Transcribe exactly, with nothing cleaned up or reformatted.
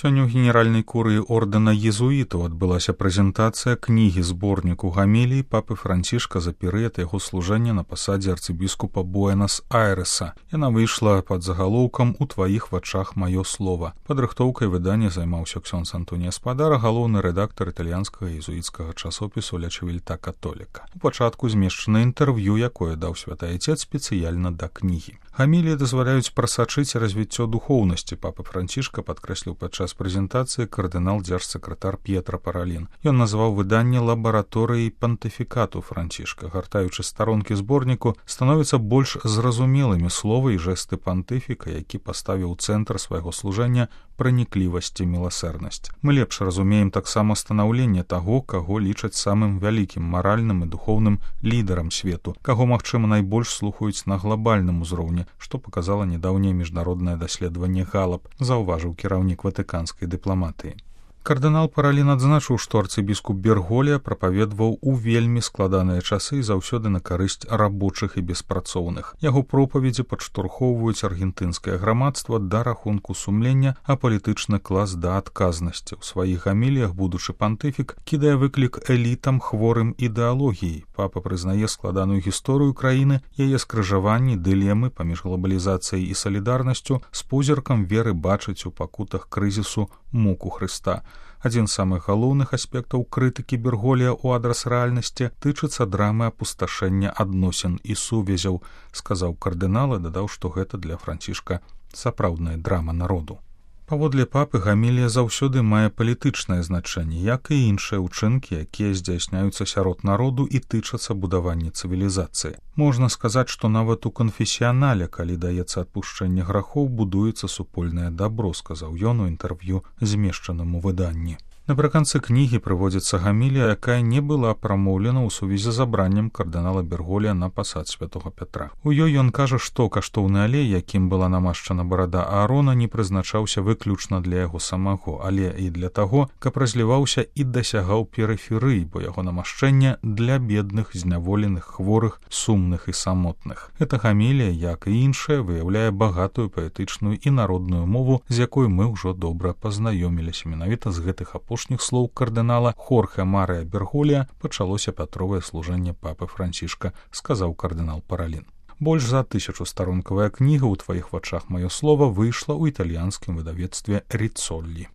Сёння ў генеральнай курыі ордэна езуітаў адбылася прэзентацыя кнігі зборніку гамілій папы Францішка за перыяд яго служэння на пасадзе арцыбіскупа Буэнас-Айрэса. Яна выйшла пад загалоўкам «У тваіх вачах маё слова». Падрыхтоўкай выдання займаўся ксёндз Антоній Спадара, галоўны рэдактар італьянскага езуіцкага часопісу «Ля Чывільта Католіка». У пачатку змешчана інтэрв'ю, якое даў святы айцец спецыяльна да кнігі. Гаміліі дазваляюць прасачыць развіццё духоўнасці папы Францішка, падкрэсліў падчас прэзентацыі кардынал дзяржсакратар П'етра Паралін. Ён назваў выданне лабараторыяй пантыфікату Францішка. Гартаючы старонкі зборніку, становяцца больш зразумелымі словы і жэсты пантыфіка, які паставіў у цэнтр свайго служэння праніклівасць і міласэрнасць. Мы лепш разумеем таксама станаўленне таго, каго лічаць самым вялікім маральным і духоўным лідарам свету, каго, магчыма, найбольш слухаюць на глобальным узроўні, што показала нядаўняе міжнароднае даследаванне Галап, заўважыў кіраўнік ватыканскай дыпламатыі. Кардынал Паралін адзначыў, што арцыбіскуп Берголія прапаведваў у вельмі складаныя часы і заўсёды на карысць рабочых і беспрацоўных. Яго пропаведзі падштурхоўваюць аргентынскае грамадства да рахунку сумлення, а палітычны клас да адказнасці. У сваіх гаміліях будучы пантыфік кідае выклік элітам хворым ідэалогіяй. Папа прызнае складаную гісторыю краіны, яе скрыжаванні, дылемы паміж глобалізацыяй і салідарнасцю, з позіркам веры бачыць у пакутах крызісу муку Хрыста. Адзін з самых галоўных аспектаў крытыкі Берголія ў адрас рэальнасці тычыцца драмы апусташэння адносін і сувязяў, сказаў кардынал і дадаў, што гэта для Францішка сапраўдная драма народу. Паводле папы гамілія заўсёды мае палітычнае значэнне, як і іншыя ўчынкі, якія здзяйсняюцца сярод народу і тычацца будавання цывілізацыі. Можна сказаць, што нават у канфесіянале, калі даецца адпушчэнне грахоў, будуецца супольнае дабро, сказаў ён у інтэрв'ю, змешчаным у выданні. Напрыканцы кнігі прыводзіцца гамілія, якая не была прамоўлена ў сувязі з абраннем кардынала Берголія на пасад святога Пятра. У ёй ён кажа, што каштоўны алей, якім была намашчана барада Аарона, не прызначаўся выключна для яго самого, але і для таго, каб разліваўся і дасягаў перыферыі, бо яго намашчэнне для бедных, зняволеных, хворых, сумных і самотных. Эта гамілія, як і іншая, выяўляе багатую паэтычную і народную мову, з якой мы ўжо добра пазнаёміліся. Менавіта з гэтых апошніх слоў кардынала Хорхе Марыя Берголія пачалося пятровае служэнне папы Францішка, сказаў кардынал Паралін. Больш за тысячу старонкавая кніга «У тваіх вачах маё слова» выйшла ў італьянскім выдавецтве Ріцоллі.